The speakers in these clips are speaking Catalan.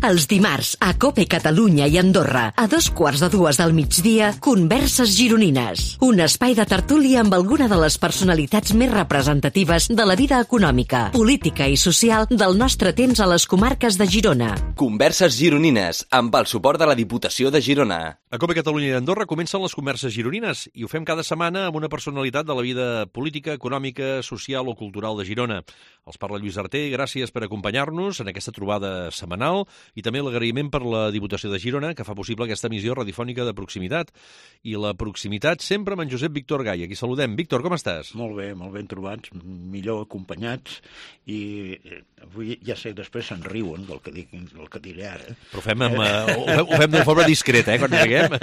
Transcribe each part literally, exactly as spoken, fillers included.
Els dimarts, a COPE Catalunya i Andorra, a dos quarts de dues del migdia, Converses Gironines. Un espai de tertúlia amb alguna de les personalitats més representatives de la vida econòmica, política i social del nostre temps a les comarques de Girona. Converses Gironines, amb el suport de la Diputació de Girona. A COPE Catalunya i Andorra comencen les Converses Gironines i ho fem cada setmana amb una personalitat de la vida política, econòmica, social o cultural de Girona. Els parla Lluís Arter, gràcies per acompanyar-nos en aquesta trobada setmanal i també l'agraïment per la Diputació de Girona, que fa possible aquesta emissió radiofònica de proximitat. I la proximitat sempre amb en Josep Víctor Gai. Aquí saludem. Víctor, com estàs? Molt bé, molt ben trobats, millor acompanyats, i avui ja sé, després se'n riuen del que, dic, del que diré ara. Però ho fem, amb, uh, ho fem, ho fem de forma discreta, eh, quan riguem.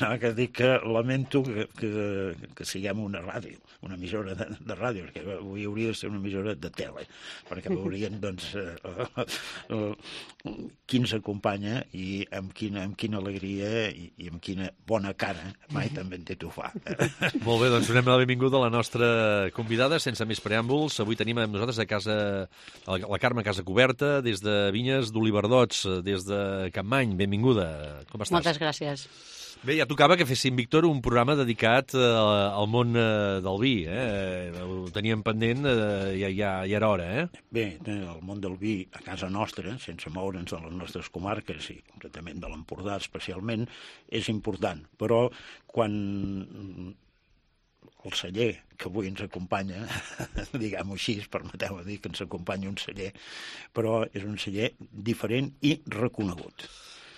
No, que dic que lamento que, que, que siguem una ràdio, una emissora de, de ràdio, perquè avui hauria de ser una emissora de tele, perquè veurien, doncs, uh, uh, uh, qui ens acompanya i amb quina, amb quina alegria i, i amb quina bona cara mai també en té tu fa. Molt bé, doncs donem la benvinguda a la nostra convidada, sense més preàmbuls. Avui tenim amb nosaltres a casa, a la Carme Casa Coberta, des de Vinyes d'Oliverdots, des de Capmany. Benvinguda. Com estàs? Moltes gràcies. Bé, ja tocava que féssim, Víctor, un programa dedicat eh, al món eh, del vi. Eh? Ho teníem pendent, eh, ja, ja, ja era hora, eh? Bé, el món del vi a casa nostra, sense moure'ns de les nostres comarques i concretament de l'Empordà especialment, és important. Però quan el celler que avui ens acompanya, diguem-ho així, permeteu-me dir que ens acompanya un celler, però és un celler diferent i reconegut.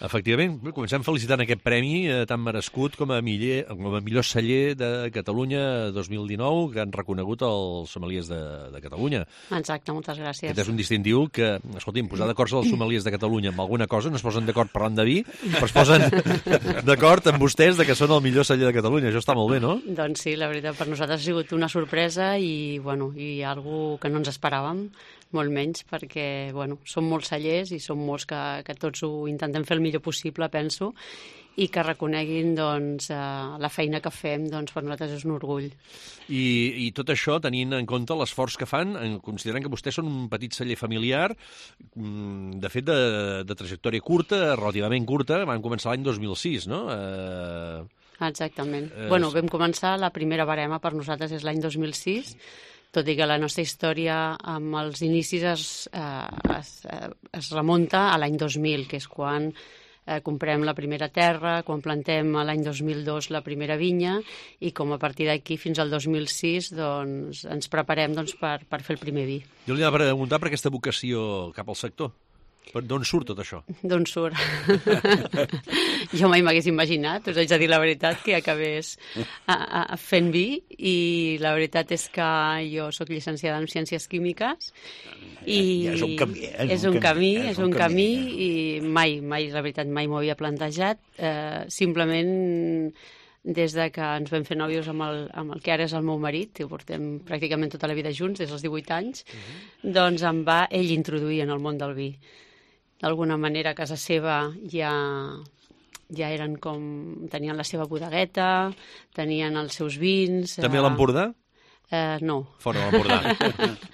Efectivament, comencem felicitant aquest premi eh, tan merescut com a, miller, com a millor celler de Catalunya dos mil dinou, que han reconegut els sommeliers de, de Catalunya. Exacte, moltes gràcies. Aquest és un distintiu que, escolti'm, posar d'acord els sommeliers de Catalunya amb alguna cosa, no es posen d'acord parlant de vi, però es posen d'acord amb vostès de que són el millor celler de Catalunya. Això està molt bé, no? Doncs sí, la veritat, per nosaltres ha sigut una sorpresa i, bueno, i algo que no ens esperàvem, molt menys, perquè, bueno, som molts cellers i som molts que, que tots ho intentem fer el millor possible, penso, i que reconeguin, doncs, eh, la feina que fem, doncs, per nosaltres és un orgull. I, i tot això tenint en compte l'esforç que fan, considerant que vostès són un petit celler familiar, de fet, de, de trajectòria curta, relativament curta, van començar l'any dos mil sis, no? Eh... Exactament. Eh... Bueno, vam començar, la primera barema per nosaltres és l'any dos mil sis, tot i que la nostra història amb els inicis es, eh, es, es remunta a l'any dos mil, que és quan eh, comprem la primera terra, quan plantem l'any dos mil dos la primera vinya, i com a partir d'aquí fins al dos mil sis doncs, ens preparem doncs, per, per fer el primer vi. Jo li anava a preguntar per aquesta vocació cap al sector. D'on surt tot això? D'on surt? Jo mai m'hagués imaginat, us haig de dir la veritat, que acabés a, a, a fent vi, i la veritat és que jo sóc llicenciada en Ciències Químiques i ja és un camí, eh? És un camí, és un camí i mai, mai, la veritat, mai m'ho havia plantejat. Eh, simplement des de que ens vam fer nòvios amb el, amb el que ara és el meu marit, que portem pràcticament tota la vida junts, des dels divuit anys, uh-huh. Doncs em va ell introduir en el món del vi. D'alguna manera a casa seva ja, ja eren com... tenien la seva bodegueta, tenien els seus vins... També a l'Empordà? Eh, no. Fora de l'Empordà.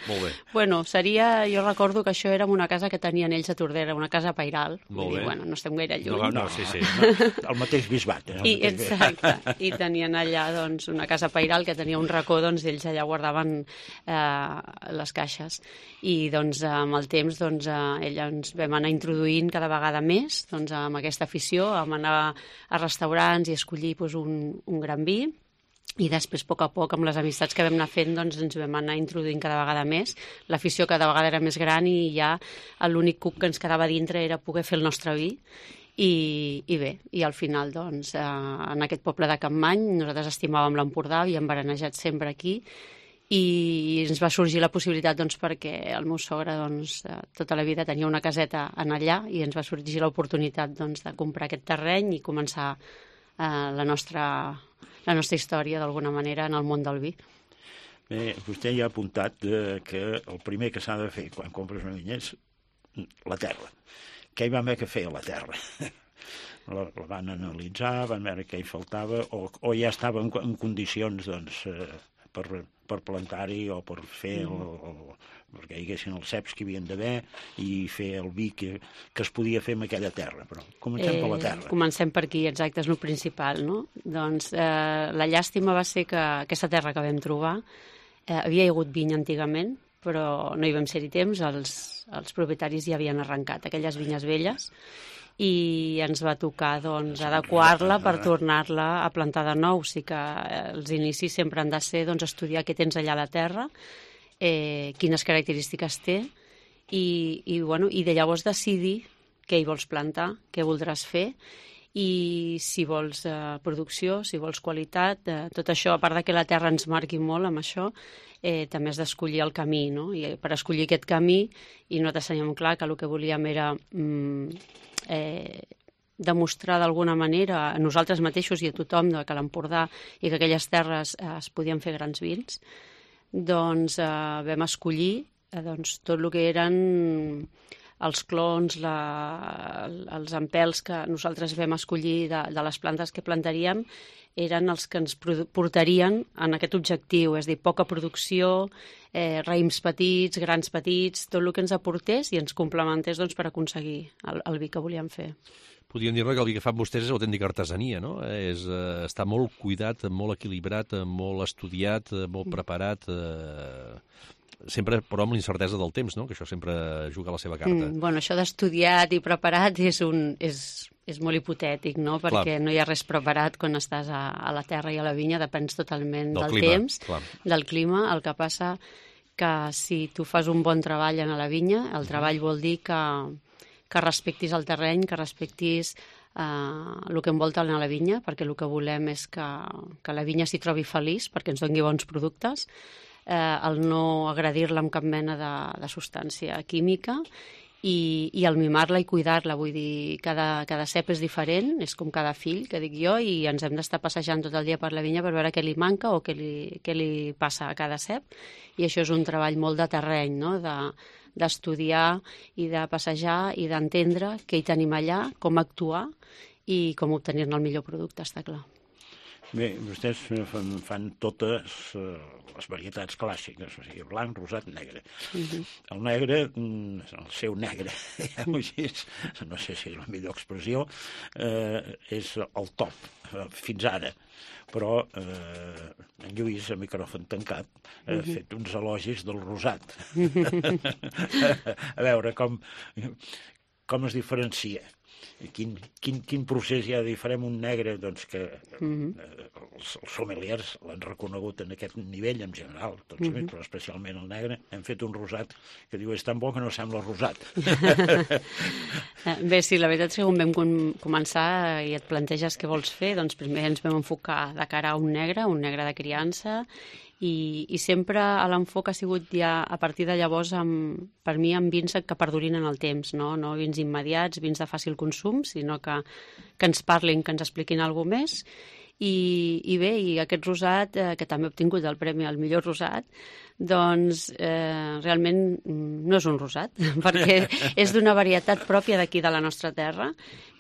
Molt bé. Bueno, seria... Jo recordo que això era una casa que tenien ells a Tordera, una casa pairal. Molt bé. Dir, bueno, no estem gaire lluny. No, no, sí, sí. El mateix bisbat. Eh? I, exacte. I tenien allà, doncs, una casa pairal que tenia un racó, doncs, ells allà guardaven eh, les caixes. I, doncs, amb el temps, doncs, eh, ella ens vam anar introduint cada vegada més, doncs, amb aquesta afició, amb anar a restaurants i escollir, doncs, un, un gran vi. I després, a poc a poc, amb les amistats que vam anar fent, doncs ens vam anar introduint cada vegada més. L'afició cada vegada era més gran i ja l'únic cuc que ens quedava dintre era poder fer el nostre vi. I, i bé, i al final, doncs, eh, en aquest poble de Capmany, nosaltres estimàvem l'Empordà, havíem berenejat sempre aquí, i ens va sorgir la possibilitat, doncs, perquè el meu sogre, doncs, tota la vida tenia una caseta en allà, i ens va sorgir l'oportunitat, doncs, de comprar aquest terreny i començar eh, la nostra... la nostra història, d'alguna manera, en el món del vi. Bé, vostè ja ha apuntat eh, que el primer que s'ha de fer quan compres una vinya és la terra. Què hi va haver que fer a la terra? La, la van analitzar, van veure què hi faltava, o, o ja estava en, en condicions, doncs, eh, per, per plantar-hi o per fer el, el, perquè hi haguessin els ceps que hi havien d'haver i fer el vi que, que es podia fer en aquella terra. Però comencem eh, per la terra. Comencem per aquí, exacte, és el principal, no? Doncs eh, la llàstima va ser que aquesta terra que vam trobar eh, havia hagut vinya antigament, però no hi vam ser-hi temps, els, els propietaris ja havien arrencat aquelles vinyes velles i ens va tocar doncs, adequar-la per tornar-la a plantar de nou. Sí que els inicis sempre han de ser doncs, estudiar què tens allà a la terra, eh, quines característiques té i, i, bueno, i de llavors decidir què hi vols plantar, què voldràs fer i si vols eh, producció, si vols qualitat, eh, tot això, a part de que la terra ens marqui molt amb això, eh, també has d'escollir el camí, no? I per escollir aquest camí, i nosaltres teníem clar que el que volíem era mm, eh, demostrar d'alguna manera a nosaltres mateixos i a tothom que l'Empordà i que aquelles terres eh, es podien fer grans vins, doncs eh, vam escollir eh, doncs, tot el que eren els clons, la, els empels que nosaltres vam escollir de, de les plantes que plantaríem eren els que ens portarien en aquest objectiu, és a dir, poca producció, eh, raïms petits, grans petits, tot el que ens aportés i ens complementés doncs, per aconseguir el, el vi que volíem fer. Podríem dir que el vi que fan vostès és autèntica artesania, no? És, eh, està molt cuidat, molt equilibrat, molt estudiat, molt preparat, eh, sempre, però amb l'incertesa del temps, no? Que això sempre juga a la seva carta. Mm, bueno, això d'estudiat i preparat és, un, és, és molt hipotètic, no? Perquè clar, no hi ha res preparat quan estàs a, a la terra i a la vinya, depens totalment del, del clima, temps, clar, del clima. El que passa que si tu fas un bon treball en la vinya, el treball vol dir que, que respectis el terreny, que respectis eh, el que envolta a la vinya, perquè el que volem és que, que la vinya s'hi trobi feliç, perquè ens doni bons productes, eh, el no agredir-la amb cap mena de, de substància química i, i el mimar-la i cuidar-la. Vull dir, cada, cada cep és diferent, és com cada fill, que dic jo, i ens hem d'estar passejant tot el dia per la vinya per veure què li manca o què li, què li passa a cada cep. I això és un treball molt de terreny, no? De, d'estudiar i de passejar i d'entendre què hi tenim allà, com actuar i com obtenir-ne el millor producte, està clar. Bé, vostès fan, fan totes uh, les varietats clàssiques, o sigui, blanc, rosat, negre. Uh-huh. El negre, el seu negre, així, no sé si és la millor expressió, uh, és el top, uh, fins ara. Però eh, en Lluís, a micròfon tancat, ha uh-huh. fet uns elogis del rosat. A veure com, com es diferencia. Quin, quin, quin procés hi ha de dir? Farem un negre doncs, que uh-huh. eh, els, els sommeliers l'han reconegut en aquest nivell en general, tots uh-huh. però especialment el negre. Hem fet un rosat que diu és tan bo que no sembla rosat. Bé, sí, la veritat és que quan vam com- començar i et planteges què vols fer, doncs primer ens vam enfocar de cara a un negre, un negre de criança, i, i sempre l'enfoc ha sigut ja a partir de llavors amb, per mi amb vins que perdurin en el temps, no, no vins immediats, vins de fàcil consum, sinó que, que ens parlin, que ens expliquin alguna més. I, i bé, i aquest rosat, eh, que també ha obtingut el premi al millor rosat, doncs eh, realment no és un rosat, perquè és d'una varietat pròpia d'aquí de la nostra terra,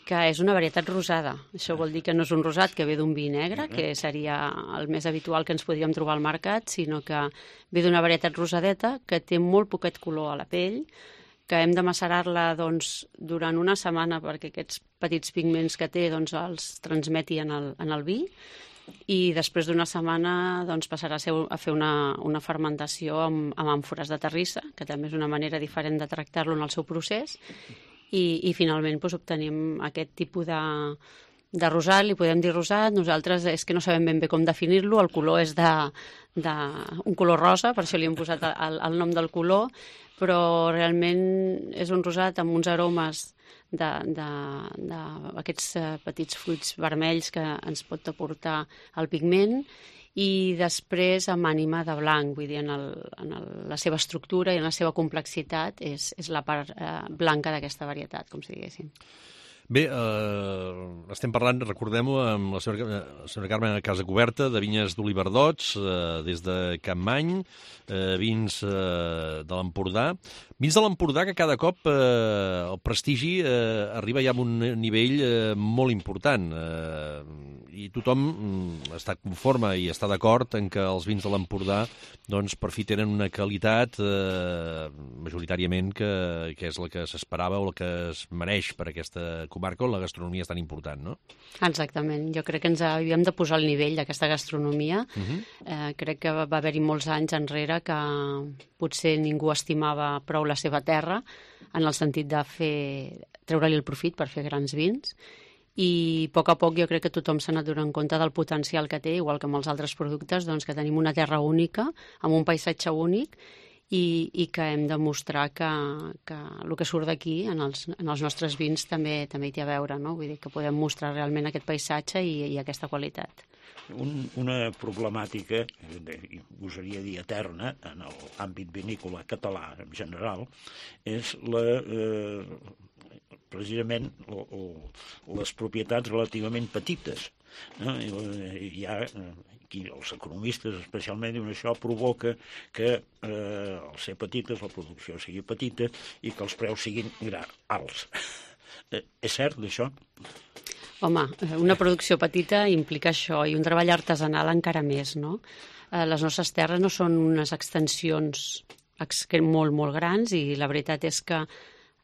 que és una varietat rosada. Això vol dir que no és un rosat que ve d'un vi negre, que seria el més habitual que ens podríem trobar al mercat, sinó que ve d'una varietat rosadeta que té molt poquet color a la pell, que hem de macerar-la doncs, durant una setmana perquè aquests petits pigments que té doncs, els transmeti en el, en el vi, i després d'una setmana doncs, passarà a, ser, a fer una, una fermentació amb, amb àmfores de terrissa, que també és una manera diferent de tractar-lo en el seu procés, i, i finalment doncs, obtenim aquest tipus de, de rosat, li podem dir rosat, nosaltres és que no sabem ben bé com definir-lo, el color és de, de un color rosa, per això li hem posat el, el nom del color, però realment és un rosat amb uns aromes d'aquests petits fruits vermells que ens pot aportar el pigment, i després amb ànima de blanc, vull dir, en, el, en el, la seva estructura i en la seva complexitat és, és la part eh, blanca d'aquesta varietat, com si diguéssim. Bé, eh, estem parlant, recordem-ho, amb la senyora, la senyora Carme Casacuberta, de vinyes d'Oliverdots, eh, des de Capmany, eh, vins eh, de l'Empordà. Vins de l'Empordà que cada cop eh, el prestigi eh, arriba ja a un nivell eh, molt important. Eh, I tothom mm, està conforme i està d'acord en que els vins de l'Empordà doncs, per fi tenen una qualitat eh, majoritàriament que, que és la que s'esperava o la que es mereix per aquesta comarca on la gastronomia és tan important, no? Exactament. Jo crec que ens havíem de posar al nivell d'aquesta gastronomia. Uh-huh. eh, crec que va haver-hi molts anys enrere que potser ningú estimava prou la seva terra en el sentit de fer treure-li el profit per fer grans vins. I a poc a poc jo crec que tothom s'ha anat donant compte del potencial que té, igual que amb els altres productes, doncs que tenim una terra única, amb un paisatge únic, i, i que hem de mostrar que, que el que surt d'aquí en, els, en els nostres vins també també hi té a veure, no? Vull dir que podem mostrar realment aquest paisatge i, i aquesta qualitat. Un, una problemàtica, gosaria dir eterna, en l'àmbit vinícola català en general, és la, eh, precisament o, o, les propietats relativament petites. No? Hi ha, aquí, els economistes especialment diuen això provoca que eh, al ser petites la producció sigui petita i que els preus siguin alts. Eh, és cert d'això? Home, una producció petita implica això i un treball artesanal encara més, no? Eh, les nostres terres no són unes extensions molt, molt grans i la veritat és que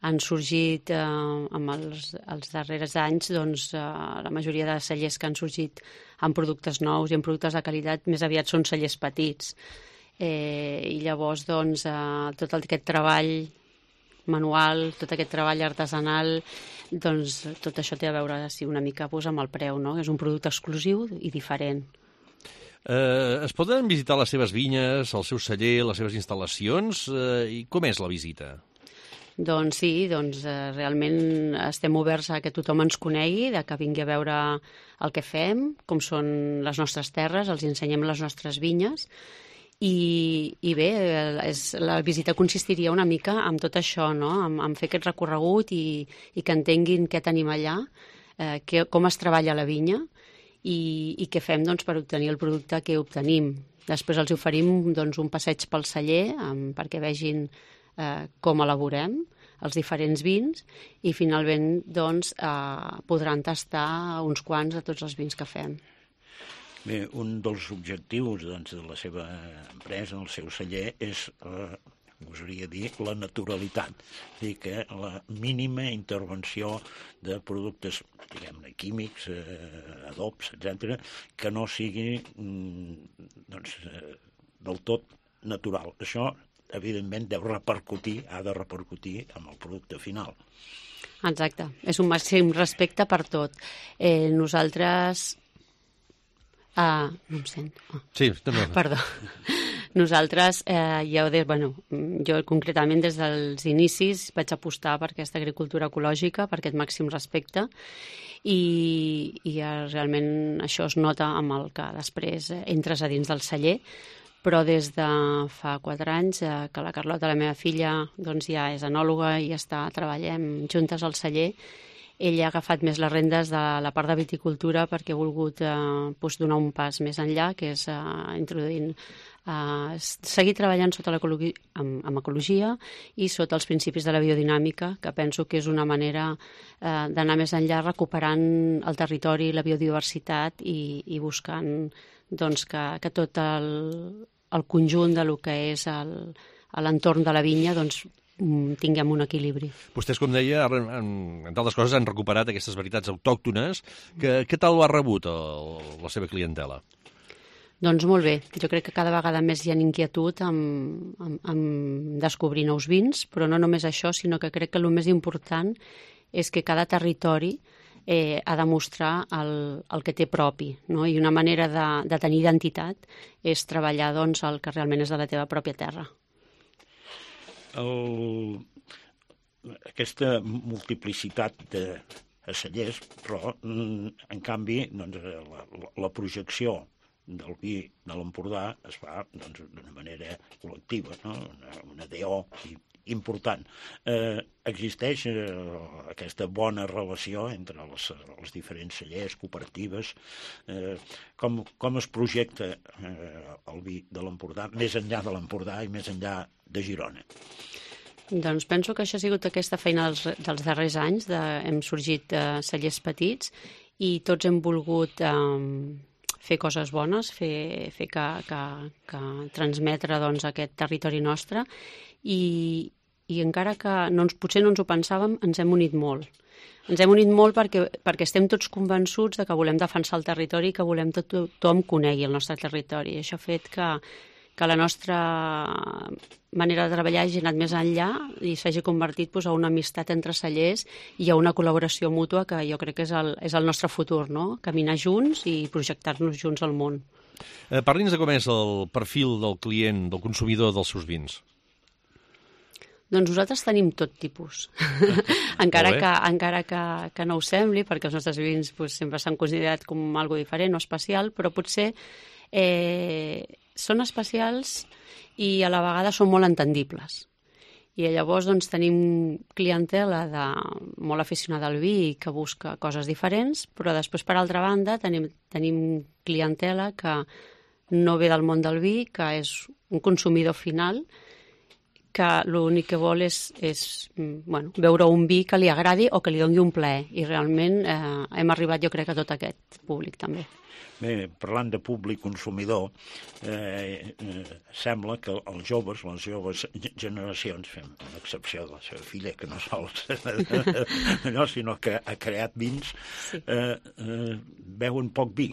han sorgit eh, amb els, els darrers anys doncs, eh, la majoria de cellers que han sorgit amb productes nous i amb productes de qualitat més aviat són cellers petits. Eh, I llavors doncs, eh, tot aquest treball manual, tot aquest treball artesanal, doncs tot això té a veure sí, una mica doncs, amb el preu, no? És un producte exclusiu i diferent. Eh, es poden visitar les seves vinyes, el seu celler, les seves instal·lacions? Eh, I com és la visita? Doncs sí, doncs eh, realment estem oberts a que tothom ens conegui, de que vingui a veure el que fem, com són les nostres terres, els ensenyem les nostres vinyes. I, i bé, és, la visita consistiria una mica en tot això, no? en, en fer aquest recorregut i, i que entenguin què tenim allà, eh, que, com es treballa la vinya i, i què fem doncs, per obtenir el producte que obtenim. Després els oferim doncs, un passeig pel celler um, perquè vegin eh, com elaborem els diferents vins i finalment doncs, eh, podran tastar uns quants de tots els vins que fem. Bé, un dels objectius doncs, de la seva empresa, el seu celler, és, eh, gosaria dir, la naturalitat. És a dir, que la mínima intervenció de productes, diguem-ne, químics, eh, adobs, etcètera, que no sigui mm, doncs, eh, del tot natural. Això, evidentment, deu repercutir, ha de repercutir amb el producte final. Exacte. És un màxim respecte per tot. Eh, nosaltres... Ah, no em sento. Oh. Sí, també. Perdó. Nosaltres, eh, ja ho de, bueno, jo concretament des dels inicis vaig apostar per aquesta agricultura ecològica, per aquest màxim respecte, i, i realment això es nota amb el que després entres a dins del celler, però des de fa quatre anys eh, que la Carlota, la meva filla, doncs ja és enòloga i està treballem juntes al celler. Ella ha agafat més les rendes de la part de viticultura perquè ha volgut eh, doncs donar un pas més enllà, que és eh, introduint, eh, seguir treballant sota l'ecologia, amb, amb ecologia i sota els principis de la biodinàmica, que penso que és una manera eh, d'anar més enllà recuperant el territori, la biodiversitat i, i buscant doncs, que, que tot el, el conjunt de lo que és el, l'entorn de la vinya doncs, tinguem un equilibri. Vostès, com deia, entre altres coses, han recuperat aquestes varietats autòctones. Que, què tal ho ha rebut el, la seva clientela? Doncs molt bé. Jo crec que cada vegada més hi ha inquietud en, en, en descobrir nous vins, però no només això, sinó que crec que el més important és que cada territori eh, ha de mostrar el, el que té propi, no? I una manera de, de tenir identitat és treballar doncs, el que realment és de la teva pròpia terra. El, aquesta multiplicitat de cellers, però, en canvi, doncs, la, la projecció del vi de l'Empordà es fa doncs, d'una manera col·lectiva, no? una, una D O i, important. Eh, existeix eh, aquesta bona relació entre els, els diferents cellers, cooperatives, eh, com, com es projecta eh, el vi de l'Empordà, més enllà de l'Empordà i més enllà de Girona? Doncs penso que això ha sigut aquesta feina dels, dels darrers anys, de, hem sorgit eh, cellers petits i tots hem volgut eh, fer coses bones, fer, fer que, que, que transmetre doncs, aquest territori nostre i, i encara que no ens, potser no ens ho pensàvem, ens hem unit molt. Ens hem unit molt perquè, perquè estem tots convençuts de que volem defensar el territori i que volem que tothom conegui el nostre territori. I això ha fet que, que la nostra manera de treballar hagi anat més enllà i s'hagi convertit doncs, a una amistat entre cellers i a una col·laboració mútua que jo crec que és el, és el nostre futur, no? Caminar junts i projectar-nos junts al món. Eh, Parli'ns de com és el perfil del client, del consumidor dels seus vins. Doncs nosaltres tenim tot tipus, encara, que, encara que, que no ho sembli, perquè els nostres vins doncs, sempre s'han considerat com algo diferent o especial, però potser eh, són especials i a la vegada són molt entendibles. I llavors doncs, tenim clientela de, molt aficionada al vi que busca coses diferents, però després, per altra banda, tenim, tenim clientela que no ve del món del vi, que és un consumidor final, que l'únic que vol és, és bueno, veure un vi que li agradi o que li doni un plaer. I realment eh, hem arribat, jo crec, a tot aquest públic també. Bé, parlant de públic consumidor, eh, eh, sembla que els joves, les joves generacions, fem una excepció de la seva filla, que no sols no, sinó que ha creat vins, sí. eh, eh, veuen poc vi.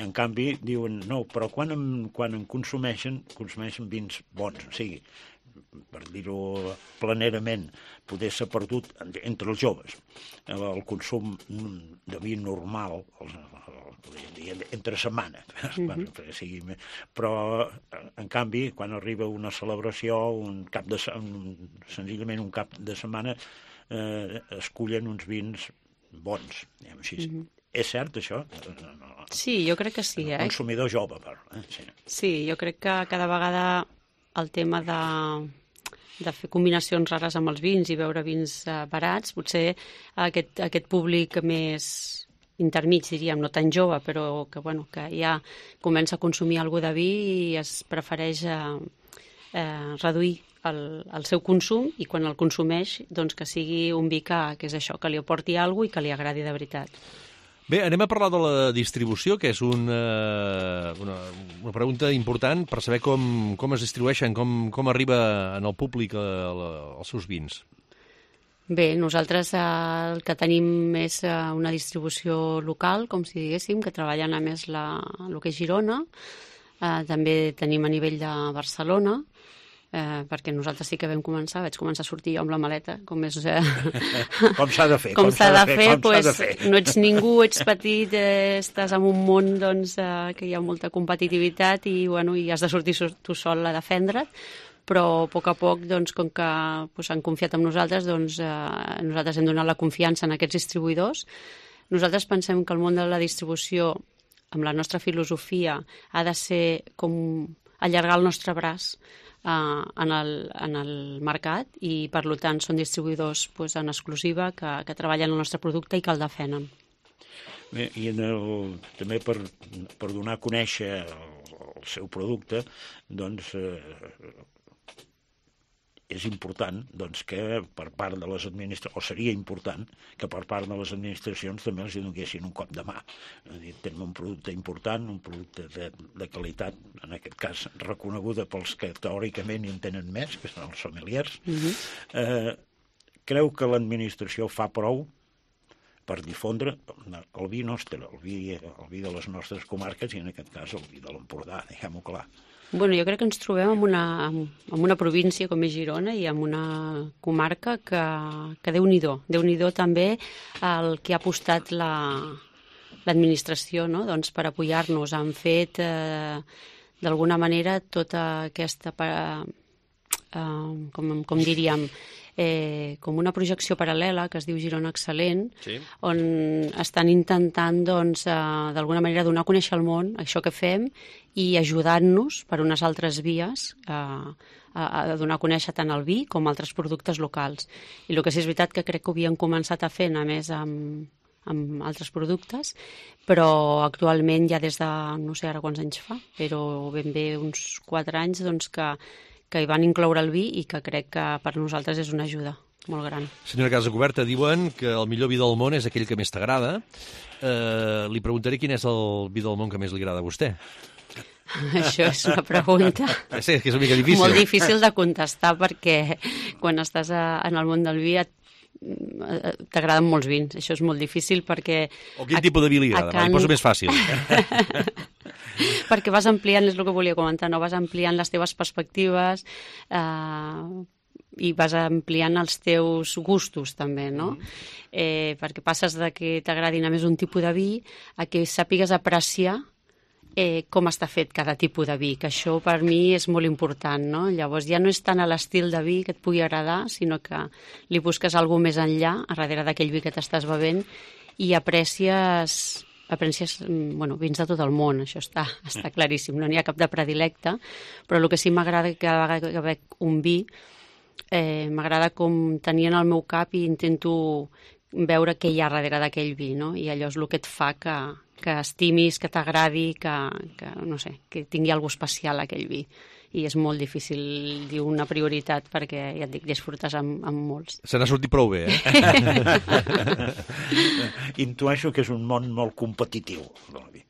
En canvi, diuen, no, però quan en, quan en consumeixen, consumeixen vins bons, o sigui, per dir-ho planerament, poder ser perdut entre els joves. El consum de vi normal, el, el, entre setmana, mm-hmm. sigui, però en canvi, quan arriba una celebració, un cap de, un, senzillament un cap de setmana, eh, escullen uns vins bons, diguem així. Mm-hmm. És cert, això? Sí, jo crec que sí. El eh? consumidor jove, però. Eh? Sí. sí, jo crec que cada vegada el tema de, de fer combinacions rares amb els vins i beure vins uh, barats, potser aquest, aquest públic més intermig, diríem, no tan jove, però que, bueno, que ja comença a consumir algú de vi i es prefereix uh, uh, reduir el, el seu consum i quan el consumeix, doncs que sigui un vi que, que és això, que li aporti alguna cosa i que li agradi de veritat. Bé, anem a parlar de la distribució, que és una, una, una pregunta important per saber com, com es distribueixen, com, com arriba en el públic a, a, als seus vins. Bé, nosaltres eh, el que tenim és eh, una distribució local, com si diguéssim, que treballen a més la, el que és Girona. Eh, també tenim a nivell de Barcelona, Eh, perquè nosaltres sí que vam començar, vaig començar a sortir jo amb la maleta, com és... Eh... com s'ha de fer, com, com s'ha de fer, fer pues, de fer. No ets ningú, ets petit, eh, estàs en un món doncs, eh, que hi ha molta competitivitat i, bueno, i has de sortir tu sol a defendre't, però a poc a poc, doncs, com que pues, han confiat en nosaltres, doncs, eh, nosaltres hem donat la confiança en aquests distribuïdors. Nosaltres pensem que el món de la distribució, amb la nostra filosofia, ha de ser com allargar el nostre braç Uh, en, el, en el mercat i per tant són distribuïdors pues, en exclusiva que, que treballen el nostre producte i que el defenen. Bé, i en el, també per, per donar a conèixer el, el seu producte, doncs eh, és important doncs, que per part de les administracions, o seria important que per part de les administracions també els donessin un cop de mà. Tenim un producte important, un producte de, de qualitat, en aquest cas reconeguda pels que teòricament hi en tenen més, que són els sommeliers. Mm-hmm. eh, creu que l'administració fa prou per difondre el vi nostre, el vi, el vi de les nostres comarques i en aquest cas el vi de l'Empordà, diguem-ho clar. Bueno, jo crec que ens trobem en una, en una província com és Girona i en una comarca que, que Déu-n'hi-do. Déu-n'hi-do també el que ha apostat la, l'administració, no? Doncs per apoyar-nos. Han fet, eh, d'alguna manera, tota aquesta, eh, com, com diríem, eh, com una projecció paral·lela que es diu Girona Excel·lent, sí. On estan intentant, doncs, eh, d'alguna manera donar a conèixer al món això que fem i ajudant-nos per unes altres vies eh, a, a donar a conèixer tant el vi com altres productes locals. I el que sí és veritat que crec que ho havien començat a fer, a més, amb, amb altres productes, però actualment ja des de, no sé ara quants anys fa, però ben bé uns quatre anys, doncs que, que hi van incloure el vi i que crec que per nosaltres és una ajuda molt gran. Senyora Casacuberta, diuen que el millor vi del món és aquell que més t'agrada. Eh, li preguntaré quin és el vi del món que més li agrada a vostè. Això és una pregunta sí, que és una mica difícil. Molt difícil de contestar perquè quan estàs a, en el món del vi et, t'agraden molts vins. Això és molt difícil perquè... O quin a, tipus de vi li agrada? Can... Li poso més fàcil. Perquè vas ampliant, és el que volia comentar, no? Vas ampliant les teves perspectives eh, i vas ampliant els teus gustos també, no? Mm. Eh, perquè passes de que t'agradi només un tipus de vi a que sàpigues apreciar Eh, com està fet cada tipus de vi, que això per mi és molt important, no? Llavors ja no és tant a l'estil de vi que et pugui agradar, sinó que li busques alguna més enllà, a darrere d'aquell vi que t'estàs bevent, i aprecies, aprecies bueno, vins de tot el món, això està, està claríssim, no n'hi ha cap de predilecte, però el que sí m'agrada que cada vegada que bec un vi, eh, m'agrada com tenir en el meu cap i intento veure què hi ha darrere d'aquell vi, no? I allò és el que et fa que, que estimis, que t'agradi, que, que, no sé, que tingui alguna especial aquell vi. I és molt difícil dir una prioritat perquè, ja et dic, disfrutes amb, amb molts. Se n'ha sortit prou bé, eh? Intueixo que és un món molt competitiu, el vi.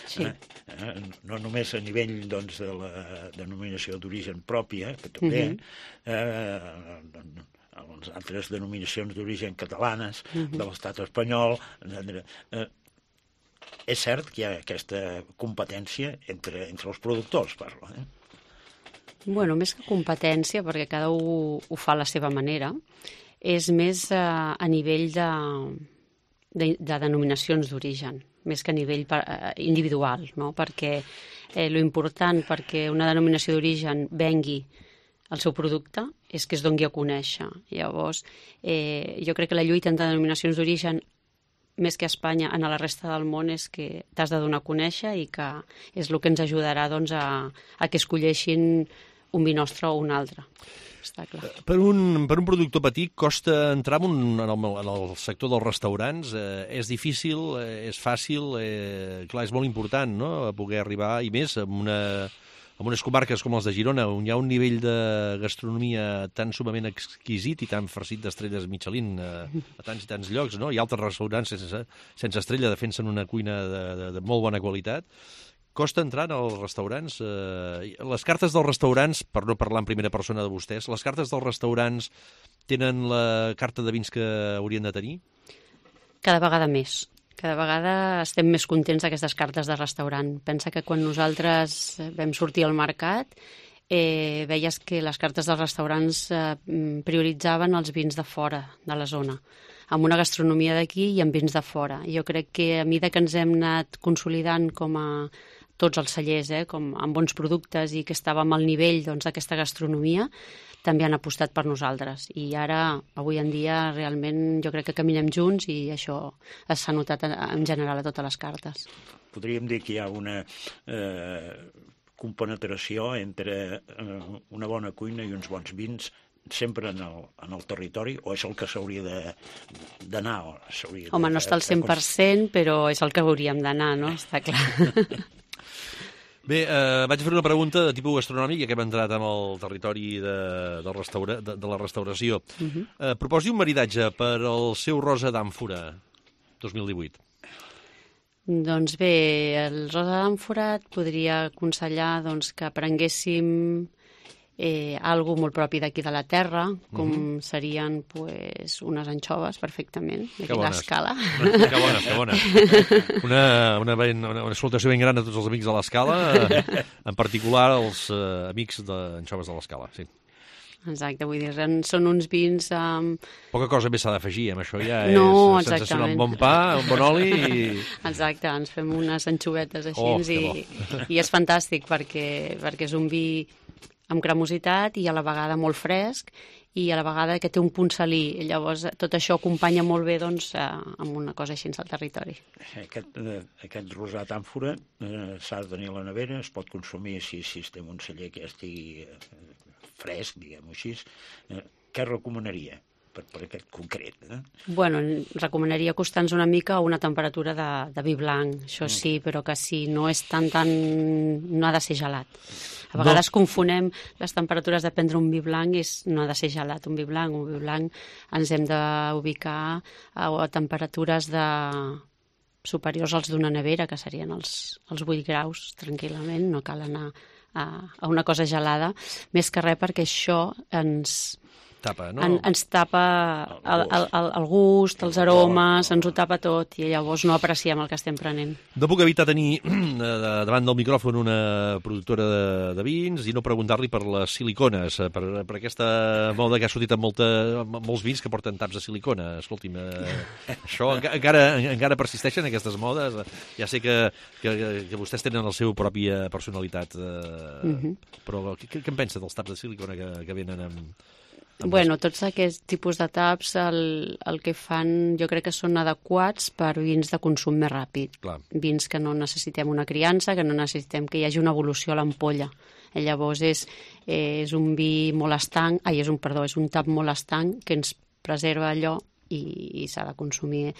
Sí. Eh? No només a nivell doncs, de la denominació d'origen pròpia, que també, uh-huh. eh, les altres denominacions d'origen catalanes, uh-huh. de l'estat espanyol, etcètera. Eh, és cert que hi ha aquesta competència entre, entre els productors, parlo. Eh? Bueno, més que competència, perquè cada un ho fa a la seva manera, és més a, a nivell de, de, de denominacions d'origen, més que a nivell per, uh, individual, no? Perquè eh, lo important perquè una denominació d'origen vengui el seu producte és que es doni a conèixer. Llavors, eh, jo crec que la lluita entre denominacions d'origen, més que a Espanya, en la resta del món, és que t'has de donar a conèixer i que és el que ens ajudarà doncs, a, a que escolleixin un vi nostre o un altre. Està clar. Per un, per un productor petit costa entrar en, un, en, el, en el sector dels restaurants. Eh, és difícil, eh, és fàcil, eh, clar, és molt important, no?, poder arribar, i més amb una... en unes comarques com les de Girona, on hi ha un nivell de gastronomia tan sumament exquisit i tan farcit d'estrelles Michelin a, a tants i tants llocs, no? Hi ha altres restaurants sense, sense estrella defensen una cuina de, de, de molt bona qualitat. Costa entrar als restaurants. Eh, les cartes dels restaurants, per no parlar en primera persona de vostès, les cartes dels restaurants tenen la carta de vins que haurien de tenir? Cada vegada més. Cada vegada estem més contents d'aquestes cartes de restaurant. Pensa que quan nosaltres vam sortir al mercat, eh, veies que les cartes dels restaurants eh, prioritzaven els vins de fora de la zona, amb una gastronomia d'aquí i amb vins de fora. Jo crec que a mesura que ens hem anat consolidant com a tots els cellers, eh, com amb bons productes i que estàvem al nivell doncs, d'aquesta gastronomia, també han apostat per nosaltres. I ara, avui en dia, realment jo crec que caminem junts i això s'ha notat en general a totes les cartes. Podríem dir que hi ha una eh, compenetració entre eh, una bona cuina i uns bons vins sempre en el, en el territori, o és el que s'hauria d'anar? Home, no està al cent per cent, però és el que hauríem d'anar, no? Està clar. Bé, eh, vaig fer una pregunta de tipus gastronòmic, ja que hem entrat en el territori de, de, restaura, de, de la restauració. Uh-huh. eh, proposi un maridatge per al seu rosa d'àmfora dos mil divuit. Doncs bé, el rosa d'àmfora et podria aconsellar doncs, que prenguéssim eh, algo molt propi d'aquí de la terra, com uh-huh. serien pues, unes anxoves, perfectament, d'aquí l'Escala. Que bones, que bones. Una, una, una, una salutació ben gran a tots els amics de l'Escala, en particular els eh, amics d'anxoves de l'Escala, sí. Exacte, vull dir, són uns vins... Um... Poca cosa més s'ha d'afegir, amb això ja no, és sensacional. Un bon pa, un bon oli i... Exacte, ens fem unes anxovetes així oh, i, i és fantàstic perquè, perquè és un vi amb cremositat i a la vegada molt fresc i a la vegada que té un punt salí. Llavors, tot això acompanya molt bé doncs, eh, amb una cosa així al territori. Aquest, eh, aquest rosat àmfora eh, s'ha de tenir a la nevera, es pot consumir si, si estem un celler que estigui... Eh, fresc, diguem-ho així, eh, què recomanaria per, per aquest concret? Eh? Bueno, recomanaria acostar-nos una mica a una temperatura de, de vi blanc, això Mm. sí, però que si no és tan, tan... no ha de ser gelat. A vegades no. confonem les temperatures de prendre un vi blanc, és, no ha de ser gelat un vi blanc. Un vi blanc ens hem d'ubicar a, a temperatures de superiors als d'una nevera, que serien els, els vuit graus, tranquil·lament, no cal anar a, a una cosa gelada, més que res perquè això ens... Tapa, no? En, ens tapa el, el, el, el gust, els aromes, ens ho tapa tot i llavors no apreciem el que estem prenent. No puc evitar tenir davant del micròfon una productora de, de vins i no preguntar-li per les silicones, per, per aquesta moda que ha sortit amb, molta, amb molts vins que porten taps de silicona. Escolti'm, eh, això encara, encara persisteixen aquestes modes? Ja sé que, que, que vostès tenen la seva pròpia personalitat, eh, mm-hmm. però què, què en pensa dels taps de silicona que, que venen amb... Bueno, tots aquests tipus de taps el, el que fan jo crec que són adequats per vins de consum més ràpid. Clar. Vins que no necessitem una criança, que no necessitem que hi hagi una evolució a l'ampolla. I llavors és, és un vi molt estanc, ai, és un, perdó, és un tap molt estanc que ens preserva allò i, i s'ha de consumir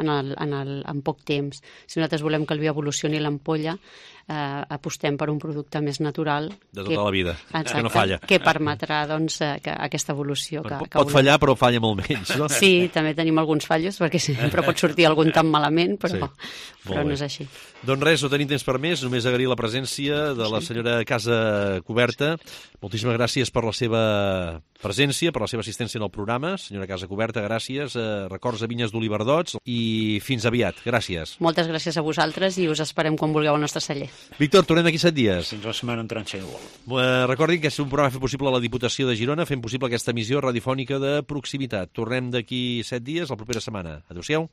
en, el, en, el, en poc temps. Si nosaltres volem que el vi evolucioni l'ampolla, eh, apostem per un producte més natural. De tota que, la vida, exacte, que no falla. Que permetrà doncs, que aquesta evolució. Que, pot que pot fallar, però falla molt menys, no? Sí, també tenim alguns fallos, perquè sempre pot sortir algun tan malament, però, sí, però no és així. Doncs res, no tenim temps per més, només agrair la presència de la senyora Casa Coberta. Moltíssimes gràcies per la seva presència, per la seva assistència en el programa. Senyora Casa Coberta, gràcies. Eh, records a Vinyes d'Oliverdots i fins aviat. Gràcies. Moltes gràcies a vosaltres i us esperem quan vulgueu al nostre celler. Víctor, tornem d'aquí set dies. Fins la setmana entrant, si no vol. Eh, recordin que és un programa fet possible a la Diputació de Girona, fent possible aquesta emissió radiofònica de proximitat. Tornem d'aquí set dies, la propera setmana. Adéu-siau.